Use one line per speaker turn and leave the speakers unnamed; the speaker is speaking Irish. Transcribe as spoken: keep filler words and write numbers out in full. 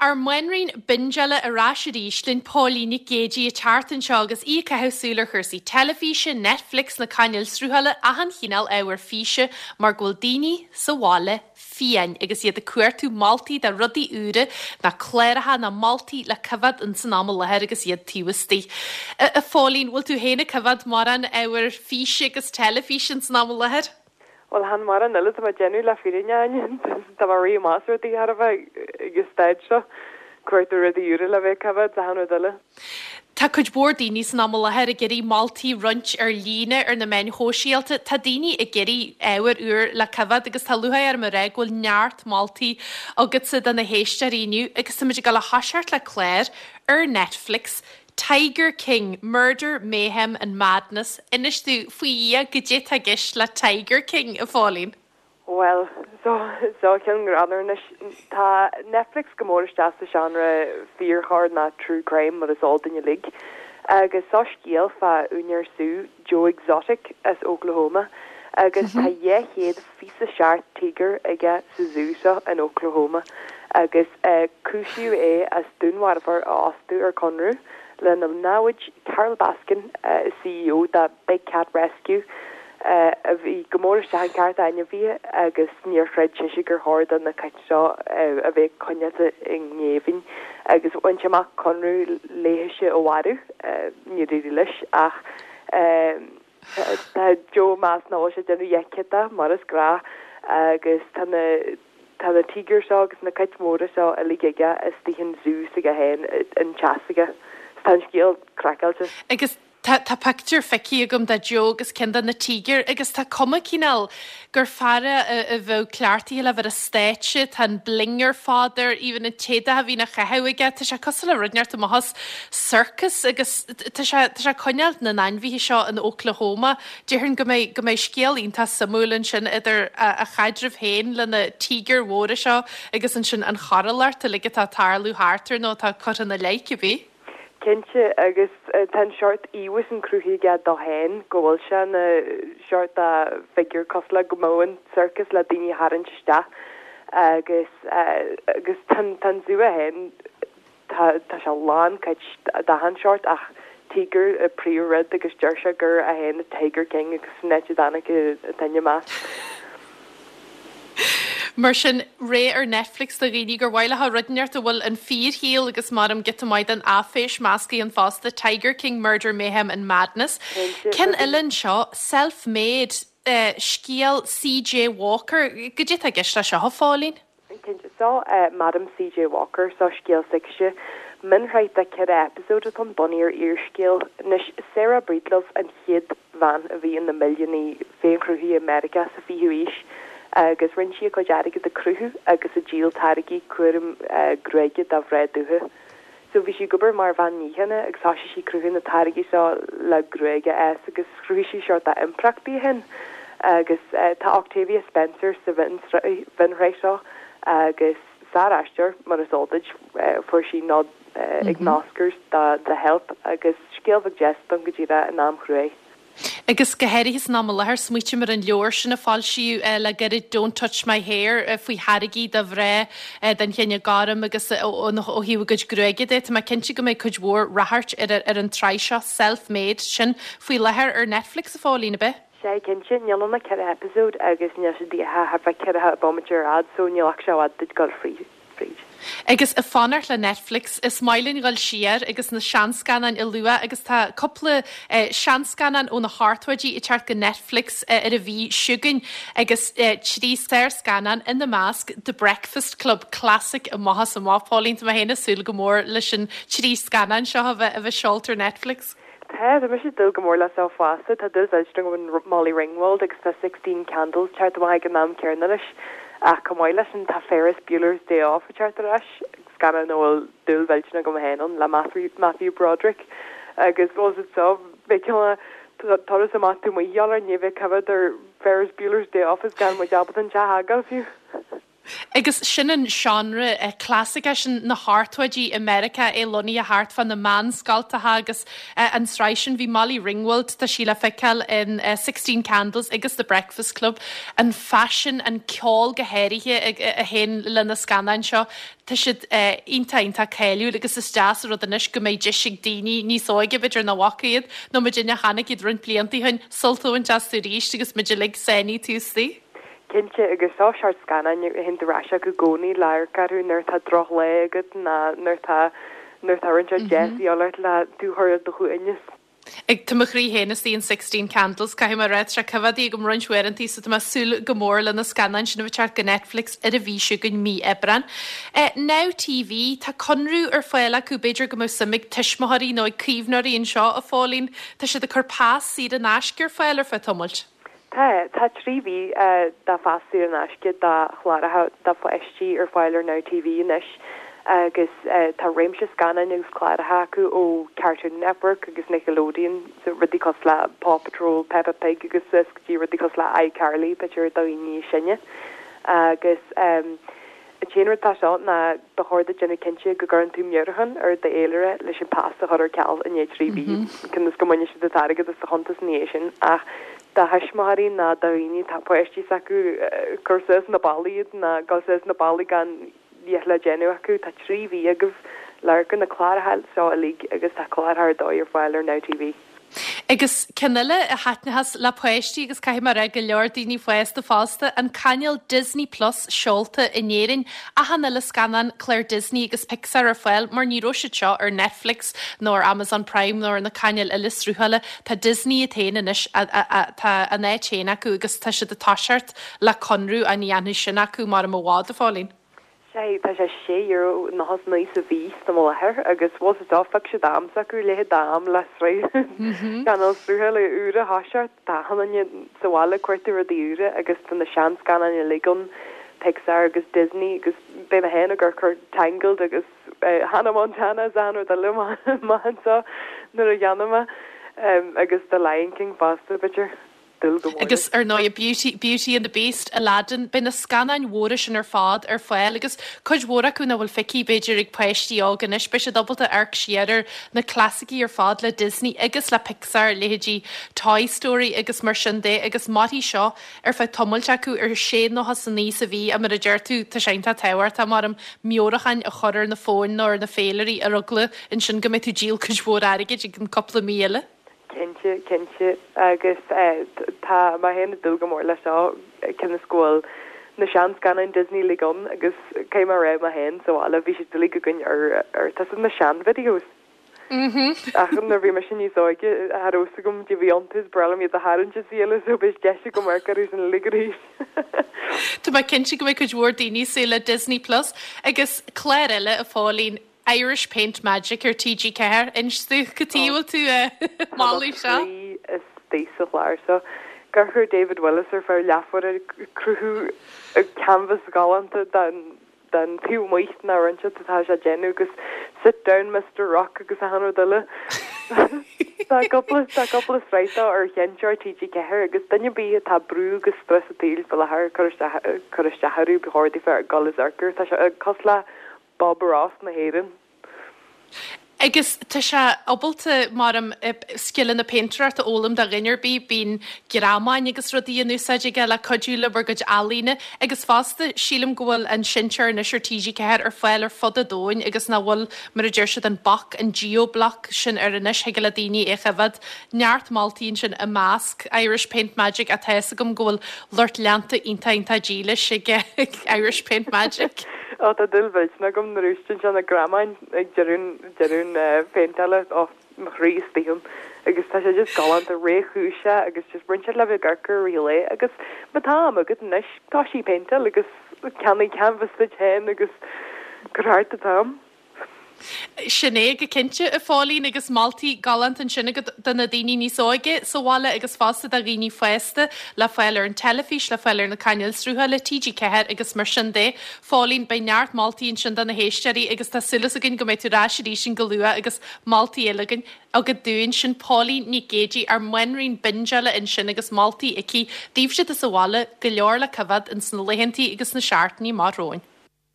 ár mbanríon bingeála ar ais arís linn Póilín Nic Géidigh ag teacht anseo agus í ag caitheamh súil ar chúrsaí teilifíse, Netflix, na cainéil sruthála, achan chineál ábhar físe mar go bhfuil daoine sa bhaile fiáin agus iad ag cuartú moltaí de rudaí úra ná cláracha ná moltaí le coimhéad in san am i láthair agus iad taobh istigh. A Phóilín, bhfuil tú féin ag coimhéad mórán ábhar físe agus teilifíse in san am i láthair?
Well chan mórán eile tá mé ag déanamh le fírinne tá mar rí más rudaí thar a bheith ag staid seo cuartú rudaí úra le bheith coimhéad achan rud eile.
Tá cuid mhór daoine san am i láthair ag iarraidh moltaí roinnt ar líne ar na meáin shóisialta. Tá daoine ag iarraidh ábhar úr le coimhéad agus tá lúcháir orm a rá go bhfuil neart moltaí agatsa do na héisteoirí inniu agus táimid ag dul a thoiseacht le clár ar Netflix Tiger King, Murder, Mayhem and Madness. Inis dúinn faoi Dhia goidé atá i gceist le Tiger King a Phóilín.
Well, so so ceann greannmhar anois tá Netflix go mór isteach sa genre fíorchoir ná true crime mar is eol duinn uilig. Agus seo scéal fá úinéir sú Joe Exotic as Oklahoma agus tá dhá chéad fiche seacht tíogar aige sa zú seo in Oklahoma agus uh, cúisíodh é as dúnmharfóir a fhostú ar conradh lena namhaid Carol Baskin uh, CEO de Big Cat Rescue uh, a bhí go mór isteach in cearta ainmhithe agus níor chreid sise gur chóir do na cait seo uh, a bheith coinnithe i ngéibheann agus bhain sé amach conradh léise a mharú uh, ní leis ach uh, tá Joe más ná sé déanamh dheiceta mar is gnách agus tá na tá na tíogair seo agus na cait mhóra seo uilig aige istigh an zú s'aige féin an teach s'aige. Tá an scéal craiceáilte.
Agus tá tá pictiúr feicthe agam de Joe agus ceann de na tíogair agus tá cuma cineál gur fear a bheadh cleachtaithe le bheith ar stáitse, tá an bling ar fad air, even an t-éadach a bhíonn á chaitheamh aige, tá sé cosúil le rud inteacht amach as circus agus tá sé tá sé coinneáil na n-ainmhithe seo in Oklahoma. Déarfainn go mbeidh go mbeidh scéal iontach suimiúil ansin idir a, a chaidreamh féin le na tíogair mhóra seo agus ansin an choiriúlacht uilig atá tarlú thart air nó atá curtha ina leith cibé.
Cinnte agus uh, tá an seort íomhá sin cruthaithe aige dó féin go bhfuil sé na seort a figure cosúil le go mbeadh an circus le daoine tharraingt isteach agus uh, agus tan tan zú féin tá tá sé lán cait d'achan seort ach tíogar a príomhrud agus deir sé gur é féin Tiger King agus net danig tanne más.
Mar sin ré ar Netflix do dhaoine gur mhaith leo rud inteacht a bhfuil an fíorshaol agus mar giota maith den áiféis measctha ann fosta Tiger King Murder Mayhem and Madness. Ceann eile anseo self-made uh, scéal CJ Walker, goidé atá i gceist le seo a Phóilín?
Cinnte seo uh, Madam CJ Walker seo scéal s'aici mionshraith de ceithre eipeasóid atá bunaithe ar fhíorscéal anois Sarah Breedlove an chéad bhean a bhí ina milliúnaí féinchruthaithe i Meiriceá sa fichiú haois agus rinne sí a cuid airgid ag cruthú agus ag díol táirgí cúram uh, gruaige do mhná dubha. So bhí sí ag obair mar bhean níocháin agus thosaigh sí cruthú na táirgí seo le gruaig a fhás agus chruthaigh sí seort de impireacht di féin agus uh, tá Octavia Spencer sa mhionshraith seo agus sár-aisteoir mar is eol duit uh, fuair sí nod uh, ag mm -hmm. Oscars do The Help agus scéal bheag deas don go dtí in am chruaidh.
Agus go háirithe san am i láthair smaoiním ar an leabhar sin a foilsíodh uh, le gairid Don't Touch My Hair uh, faoi tháirgí do mhná uh, den chine gorm agus ó thaobh a gcuid gruaige de Tá mé cinnte go mbeidh cuid mhór ráchairt ar ar an tsraith seo self-made sin faoi láthair ar Netflix a Phóilín ab ea.
Sé cinnte níl ann ach ceithre eipeasóid agus níl sé díthe thar bheith ceithre bomaite ar fhad so níl ach sé fhad duit dul fríd. Fríd.
Agus ag fanacht le Netflix is maith linn dul siar agus na seanscannáin a lua agus tá cúpla eh, seanscannán ó na hochtóidí ag teacht go Netflix eh, ar an mhí seo chugainn agus eh, trí sárscannán ina measc The Breakfast Club Classic amach is amach Póilín tá mé féin ag súil go mór leis an trí scannán seo a bheith a bheith seolta ar Netflix.
Tá tá mise ag dúil go mór le seo fosta tá dúil mhillteanach Molly Ringwald agus tá Sixteen Candles teacht amach ag an am céanna leis ach chomh maith leis sin tá Ferris Bueller's Day Off a teacht ar ais scannán a bhfuil dúil mhillteanach agam féin ann le Matthew, Matthew Broderick agus was it so turas amach tú mu gheallar ní bheith covered ar Ferris Bueller's Day Off is gan muid ábalta an teach a fhágáil fiú.
Agus sin an genre clasaiceach sin na hochtóidí i Meiriceá é lonnaithe thart fá na meánscoltacha agus an tsraith sin bhí Molly Ringwald tá sí le feiceáil in Sixteen Candles agus The Breakfast Club an faisean an ceol go háirithe a théann le na scannáin seo Tá siad iontach iontach cáiliúil agus is deas an rud anois go mbeidh deis ag daoine níos óige b'fhéidir nach bhfaca iad nó muidinne a chonaic iad roinnt blianta ó shin sult a bhaint astu arís agus muid uilig sáinnithe taobh istigh.
Cinnte agus seo seort scannáin a théann ar ais acu i gcónaí le amharc orthu nuair atá drochlá agat ná nuair atá nuair atá roinnt deis a fháil ort le tú a chur ar do shuaimhneas.
Ag Tá mo chroí féin istigh in Sixteen Candles, caithfidh mé a rá, tá sé coimhéadaí agam roinnt uaireanta so tá mé ag súil go mór le na scannáin sin a bheith teacht go Netflix ar an mhí seo chugainn mí Aibreán. Now TV, tá conradh ar fáil acu, b'fhéidir go mbeadh suim ag tuismitheoirí nó ag caomhnóirí anseo, a Phóilín, tá siad ag cur pas saor in aisce ar fáil ar feadh tamaill.
Tá, tá trí mhí de phas saor in aisce do chláracha do pháistí ar fáil ar Now TV anois agus tá réimse scannáin agus cláracha acu ó Cartoon Network agus Nickelodeon, so rudaí cosúil le Paw Patrol, Peppa Pig agus suas go dtí rudaí cosúil le iCarly, b'fhéidir do dhaoine níos sine. Agus an t-aon rud atá seo ná ba chóir duit déanamh cinnte go gcuireann tú meabhrúchán ar d'fhéilire leis an pas a chur ar ceal i ndiaidh trí mhí, cionn is go mbainfidh siad an t-airgead as do chuntas ina dhiaidh sin. Ach do thuismitheoirí ná do dhaoine atá páistí s'acu cur suas na ballaí iad ná dul suas na ballaí gan a dhath le déanamh acu. Tá trí mhí agaibh le amharc ar na cláracha seo uilig agus tá cláracha ar dóigh ar fáil ar Now TV.
Agus ceann eile a thaitneochas le páistí agus caithfidh mé a rá go leor daoine fásta fosta, an cainéal Disney Plus seolta in Éirinn. Achan uile scannán clár Disney agus Pixar ar fáil mar ní raibh siad seo ar Netflix nó ar Amazon Prime nó ar na cainéil eile sruthála. Tá Disney iad féin anois, tá a n-áit féin acu agus tá siad ag toiseacht le conradh a dhéanamh sin acu mar i bhfad, a Phóilín.
Sea, tá sé sé euro nócha is naoi sa mhí sa mo láthair agus bhfuil sa dá phioc siad am s'acu leithéid d'am le sraith cainéal sruthála úr a thoiseacht. Tá achan duine sa bhaile ag cuartú rudaí úra agus tá na seanscannáin uilig ann, Pixar agus Disney agus beidh mé féin ag cur Tangled agus Hannah Montana is achan rud eile amach anseo nuair a dhéanfaidh mé agus The Lion King fosta b'fhéidir. Dúil go mór
Agus ar ndóigh Beauty, Beauty and the Beast, Aladdin, beidh na scannáin mhóra sin ar fad ar fáil agus cuid mhór acu nach bhfuil feicthe b'fhéidir ag páistí óga anois, beidh siad ábalta amharc siar ar na clasaicí ar fad le Disney agus le Pixar, leithéidí Toy Story agus mar sin de agus mairfidh seo ar feadh tamaill acu ar sé nócha is a naoi sa mhí a mar a deir tú tá sé iontach tábhachtach mar am meabhrúcháin a chur ar na fóin nó ar na féilirí ar eagla ansin go mbeidh tú ag díol cuid mhór airgid ag an cúpla mí eile.
Cinnte, cinnte. Agus tá mé féin ag dúil go mór leis seo cionn is go bhfuil na seanscannáin Disney uilig ann agus cé mar raibh mé féin sa bhaile bhí siad uilig againn ar ar tá na sean-videos. Ach nuair bhí mise níos óige cha raibh fhios agam cad a bhí iontu is breá liom iad a tharraingt is eile so beidh deis agam amharc orthu sin uilig arís.
Tá mé cinnte go mbeidh cuid mhór daoine ag súil le Disney Plus agus clár eile a Phóilín Irish Paint Magic ar TG Ceathair inis domh cad chuige a bhfuil tú ag moladh seo.
Tá istigh sa chlár seo. Gur chuir David Willis ar feadh leathuair ag cruthú canvas galánta den den taobh amuigh na roinnte atá sé déanamh agus sit down Mr Rock agus achan rud eile. Tá cúpla tá cúpla sraith ar sheinnteoir TG Ceathair agus duine ar bith atá brú agus strus an tsaoil faoi láthair cur isteach cur isteach orthu ba chóir daofa dul is amharc air. Tá sé cosúil le Bob Ross na hÉireann.
Agus tá sé ábalta mar am scileanna péintéireachta a fhoghlaim do dhuine ar bith, bíonn greamáin agus rudaí in úsáid aige le cuidiú le bhur gcuid ealaíne agus fosta sílim go bhfuil an seinnteoir anois ar TG Ceathair ar fáil ar fud an domhain agus nach bhfuil mar a deir siad an bac an geo-block sin ar anois thig le daoine é a choimhéad. Neart moltaí ansin i measc Irish Paint Magic atá fhios agam go bhfuil lucht leanta iontach iontach dílis ag Irish Paint Magic.
Ó tá dúil mhillteanach agam nuair a úsáideann sé na greamáin ag deireadh deireadh na péinteála ó mo chroí istigh ann agus tá sé just galánta réchúiseach agus just roinnt le bheith ag amharc air i rith an lae agus má tá am agat anois tá sí péinteáil agus ceannaigh canvas duit féin agus cuir thart an t-am.
Sin é go cinnte a Phóilín agus moltaí galánta ansin agat do na daoine níos óige sa bhaile agus fosta do dhaoine fásta le fáil ar an teilifís, le fáil ar na cainéil srutha le TG Ceathair agus mar sin de. Phóilín, beidh neart moltaí ansin do na héisteoirí agus tá súil againn go mbeidh tú ar ais arís go luath agus moltaí eile againn agat dúinn sin Póilín Nic Géidigh ár mbanríon bingeála ansin agus moltaí aici daoibhse sa bhaile go leor le coimhéad ins na laethantaí agus na seachtainí amach romhainn.